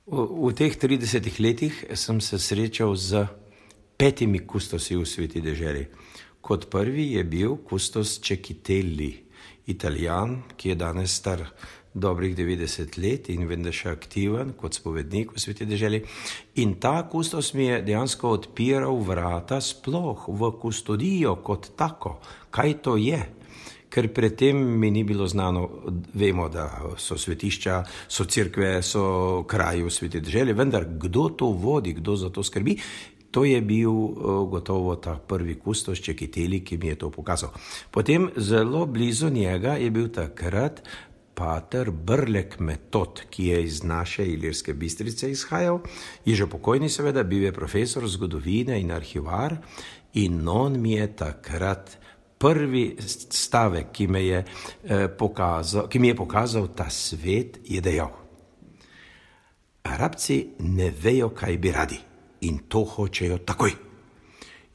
V teh 30 letih sem se srečal z 5 kustosi v Sveti deželi. Kot prvi je bil kustos Cecchitelli, Italijan, ki je danes star dobrih 90 let in vem, da še aktiven kot spovednik v Sveti deželi. In ta kustos mi je dejansko odpiral vrata sploh v kustodijo kot tako. Kaj to je? Ker predtem mi ni bilo znano, vemo, da so svetišča, so cerkve, so kraji v Sveti deželi, vendar kdo to vodi, kdo za to skrbi, to je bil gotovo ta prvi kustos Cecchitelli, ki mi je to pokazal. Potem zelo blizu njega je bil takrat pater Brlek Metod, ki je iz naše Ilirske Bistrice izhajal, je že pokojni seveda, bil je profesor zgodovine in arhivar in on mi je takrat prvi stavek, ki mi je pokazal ta svet, je dejal: Arabci ne vejo, kaj bi radi in to hočejo takoj.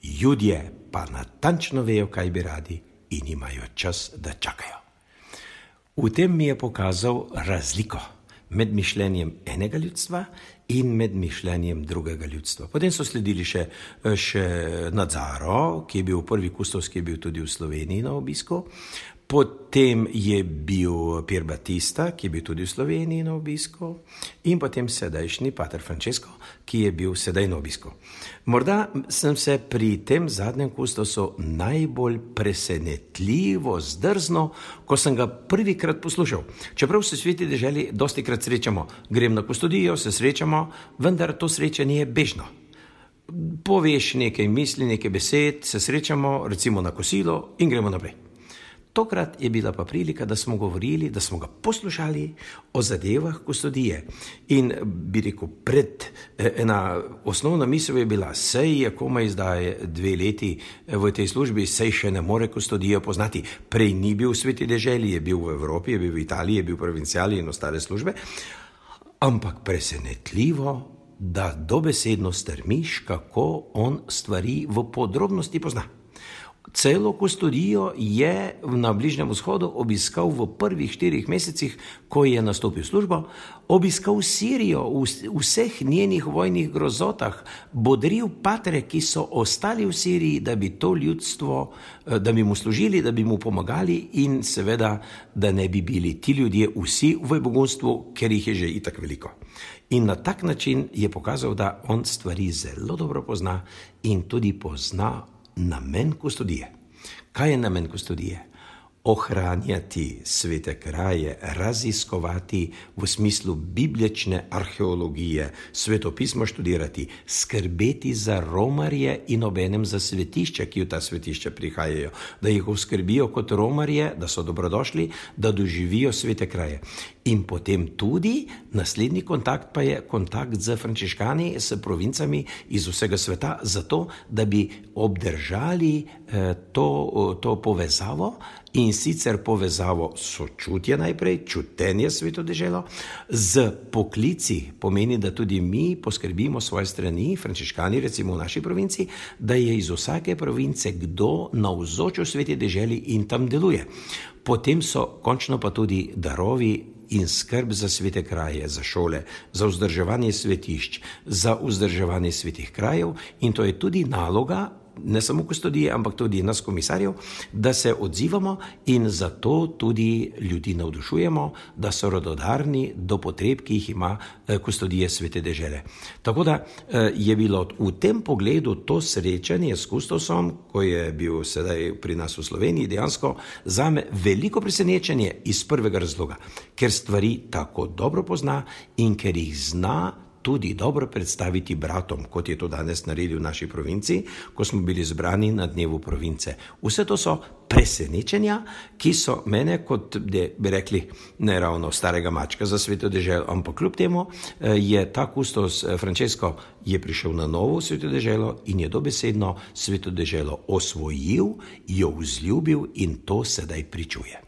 Judje pa natančno vejo, kaj bi radi in imajo čas, da čakajo. V tem mi je pokazal razliko med mišljenjem enega ljudstva in med mišljenjem drugega ljudstva. Potem so sledili še Nazaro, ki je bil prvi kustos, ki je bil tudi v Sloveniji na obisku. Potem je bil Pier Battista, ki je bil tudi v Sloveniji na obisku. In potem sedajšnji pater Francesco, ki je bil sedaj na obisku. Morda sem se pri tem zadnjem kustosu najbolj presenetljivo zdrznil, ko sem ga prvikrat poslušal. Čeprav se v Sveti deželi dostikrat srečamo, grem na kustodijo, se srečamo, vendar to srečanje je bežno. Poveš nekaj misli, nekaj besed, se srečamo, recimo na kosilo in gremo naprej. Tokrat je bila pa prilika, da smo govorili, da smo ga poslušali o zadevah kustodije. In bi rekel, ena osnovna misel je bila, sej je komaj zdaj 2 leti v tej službi, sej še ne more kustodijo poznati. Prej ni bil v Sveti deželi, je bil v Evropi, je bil v Italiji, je bil v provinciali in ostale službe. Ampak presenetljivo, da dobesedno strmiš, kako on stvari v podrobnosti pozna. Celo kustodijo je na Bližnjem vzhodu obiskal v prvih 4 mesecih, ko je nastopil službo, obiskal Sirijo v vseh njenih vojnih grozotah, bodril patre, ki so ostali v Siriji, da bi to ljudstvo, da bi mu služili, da bi mu pomagali in seveda, da ne bi bili ti ljudje vsi v begunstvu, ker jih je že itak veliko. In na tak način je pokazal, da on stvari zelo dobro pozna in tudi pozna namen kustodije. Kaj je namen kustodije? Ohranjati svete kraje, raziskovati v smislu biblične arheologije, svetopismo študirati, skrbeti za romarje in obenem za svetišče, ki v ta svetišče prihajajo, da jih oskrbijo kot romarje, da so dobrodošli, da doživijo svete kraje. In potem tudi naslednji kontakt pa je kontakt z frančiškani, s provincami iz vsega sveta, zato da bi obdržali to povezavo in sicer povezavo sočutja najprej, čutenje Sveto deželo, z poklici, pomeni, da tudi mi poskrbimo svoje strani, frančiškani recimo v naši provinci, da je iz vsake province kdo navzoč v Sveti deželi in tam deluje. Potem so končno pa tudi darovi in skrb za svete kraje, za šole, za vzdrževanje svetišč, za vzdrževanje svetih krajev in to je tudi naloga, ne samo kustodije, ampak tudi nas komisarjev, da se odzivamo in zato tudi ljudi navdušujemo, da so radodarni do potreb, ki jih ima kustodije Svete dežele. Tako da je bilo v tem pogledu to srečanje s kustosom, ko je bil sedaj pri nas v Sloveniji, dejansko zame veliko presenečenje iz prvega razloga, ker stvari tako dobro pozna in ker jih zna tudi dobro predstaviti bratom, kot je to danes naredil v naši provinci, ko smo bili zbrani na dnevu province. Vse to so presenečenja, ki so mene, kot bi rekli, ne ravno starega mačka za Sveto deželo, ampak kljub temu je ta kustos Francesco je prišel na novo Sveto deželo in je dobesedno Sveto deželo osvojil, jo vzljubil in to sedaj pričuje.